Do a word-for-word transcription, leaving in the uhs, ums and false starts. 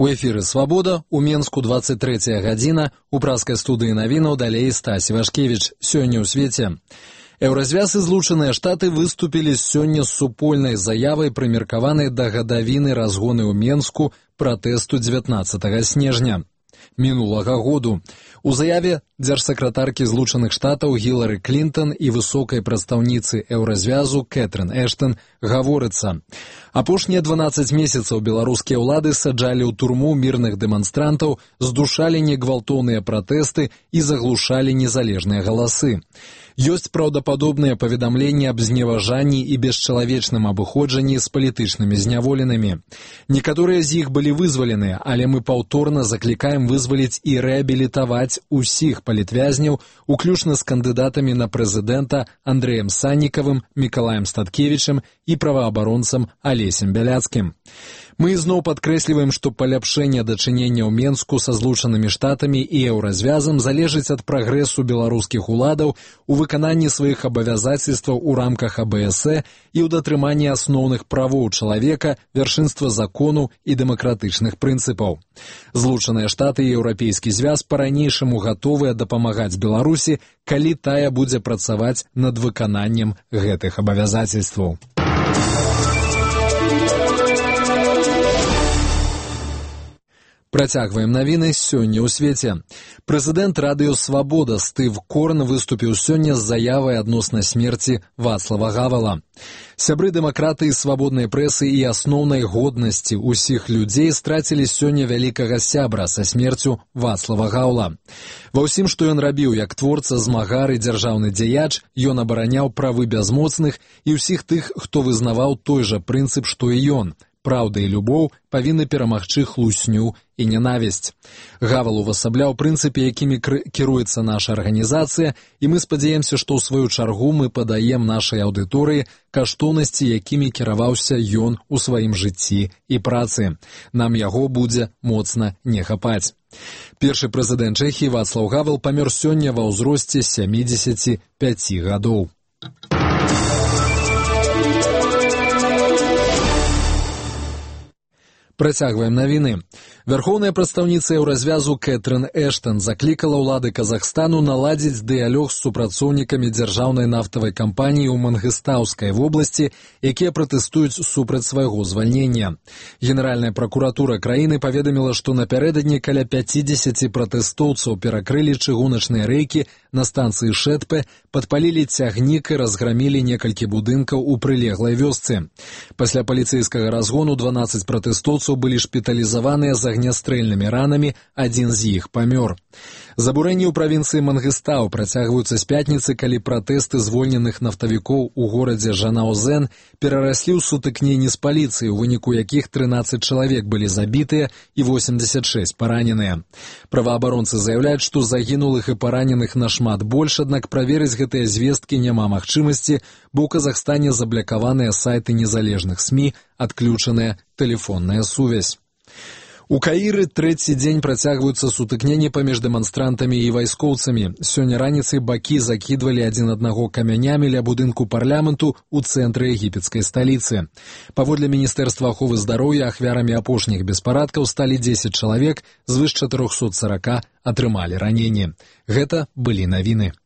У эфіры «Свабода», у Менску двадцать третья гадзіна, у праскай студыі навінаў далей Стась Івашкевіч. Сёння ў свеце. Еўразвяз і Злучаныя Штаты выступілі сёння з супольнай заявай, прымеркаванай да гадавіны разгоны ў Менску пратэсту дзевятнаццатага снежня мінулага году. У заяве дзяржсакратаркі Злучаных Штатаў Гілары Клінтон і высокай прадстаўніцы Еўразвязу Кэтрын Эштон гаворыцца: апошнія дванаццаць месяцаў беларускія ўлады саджалі ў турму мірных дэманстрантаў, здушалі негвалтоўныя пратэсты і заглушалі незалежныя галасы. Ёсць праўдападобныя паведамленні аб зневажанні і бесчалавечным абыходжанні з палітычнымі зняволенымі. Некаторыя з іх былі вызваленыя, але мы паўторна заклікаем вызваліць і рэабілітаваць усіх палітвязняў, уключна з кандыдатамі на прэзідэнта Андрэем Саннікавым, Мікалаем Статкевічам і праваабаронцам Алесем Бяляцкім. Мы ізноў падкрэсліваем, што паляпшэнне дачынення ў Менску са Злучанымі Штатамі і Еўразвязам залежыць ад прагрэсу беларускіх уладаў у выкананні сваіх абавязацельстваў у рамках А Бэ Эс Э і ў датрыманні асноўных правоў чалавека, вяршынства закону і дэмакратычных прынцыпаў. Злучаныя Штаты і Еўрапейскі звяз па-ранейшаму гатовыя дапамагаць Беларусі, калі тая будзе працаваць над выкананнем гэтых абавязацельстваў. Працягваем навіны сёння ў свеце. Прэзідэнт радыё «Свабода» Стыв Корн выступіў сёння з заявай адносна смерці Вацлава Гавала. Сябры дэмакраты і свабоднай прэсы і асноўнай годнасці ўсіх людзей страцілі сёння вялікага сябра са смерцю Вацлава Гаўла. Ва ўсім, што ён рабіў як творца, змагар і дзяржаўны дзеяч, ён абараняў правы бязмоцных і ўсіх тых, хто вызнаваў той жа прынцып, што і ён. Праўда і любоў павінны перамагчы хлусню і нянавісць. Гавал увасабляў прынцыпы, якімі кіруецца наша арганізацыя, і мы спадзяемся, што ў сваю чаргу мы падаем нашай аўдыторыі каштоўнасці, якімі кіраваўся ён у сваім жыцці і працы. Нам яго будзе моцна не хапаць. Першы прэзідэнт Чэхіі Вацлаў Гавал памёр сёння ва ўзросце сямідзесяці пяці гадоў. Працягваем навіны. Вярхоўная прадстаўніца Еўразвязу Кэтрын Эштон заклікала ўлады Казахстану наладзіць дыялог з супрацоўнікамі дзяржаўнай нафтавай кампаніі ў Мангыстаўскай вобласці, якія пратэстуюць супраць свайго звальнення. Генеральная пракуратура краіны паведаміла, што напярэдадні каля пяцідзесяці пратэстоўцаў перакрылі чыгуначныя рэйкі на станцыі Шэтпе, падпалілі цягнік і разграмілі некалькі будынкаў у прылеглай вёсцы. Пасля паліцэйскага разгону дванаццаць пратэстоўцаў былі шпіталізаваныя з агнястрэльнымі ранамі, адзін з іх памёр. Забурэнні ў правінцыі Мангыстау працягваюцца з пятніцы, калі пратэсты звольненых нафтавікоў у горадзе Жанаузен перараслі ў сутыкненні з паліцыяй, у выніку якіх трынаццаць чалавек былі забітыя і восемьдесят шесть параненыя. Праваабаронцы заяўляюць, што загінулых і параненых нашмат больш, аднак праверыць гэтыя звесткі няма магчымасці, бо ў Казахстане заблякаваныя сайты незалежных СМІ, адключаная тэлефонная сувязь. У Каіры трэці дзень працягваюцца сутыкненні паміж дэманстрантамі і вайскоўцамі. Сёння раніцай бакі закідвалі адзін аднаго камянямі ля будынку парламенту ў цэнтры егіпецкай сталіцы. Паводле Міністэрства аховы здароўя ахвярамі апошніх беспарадкаў сталі дзесяць чалавек, звыш чатырохсот сорока атрымалі раненні. Гэта былі навіны.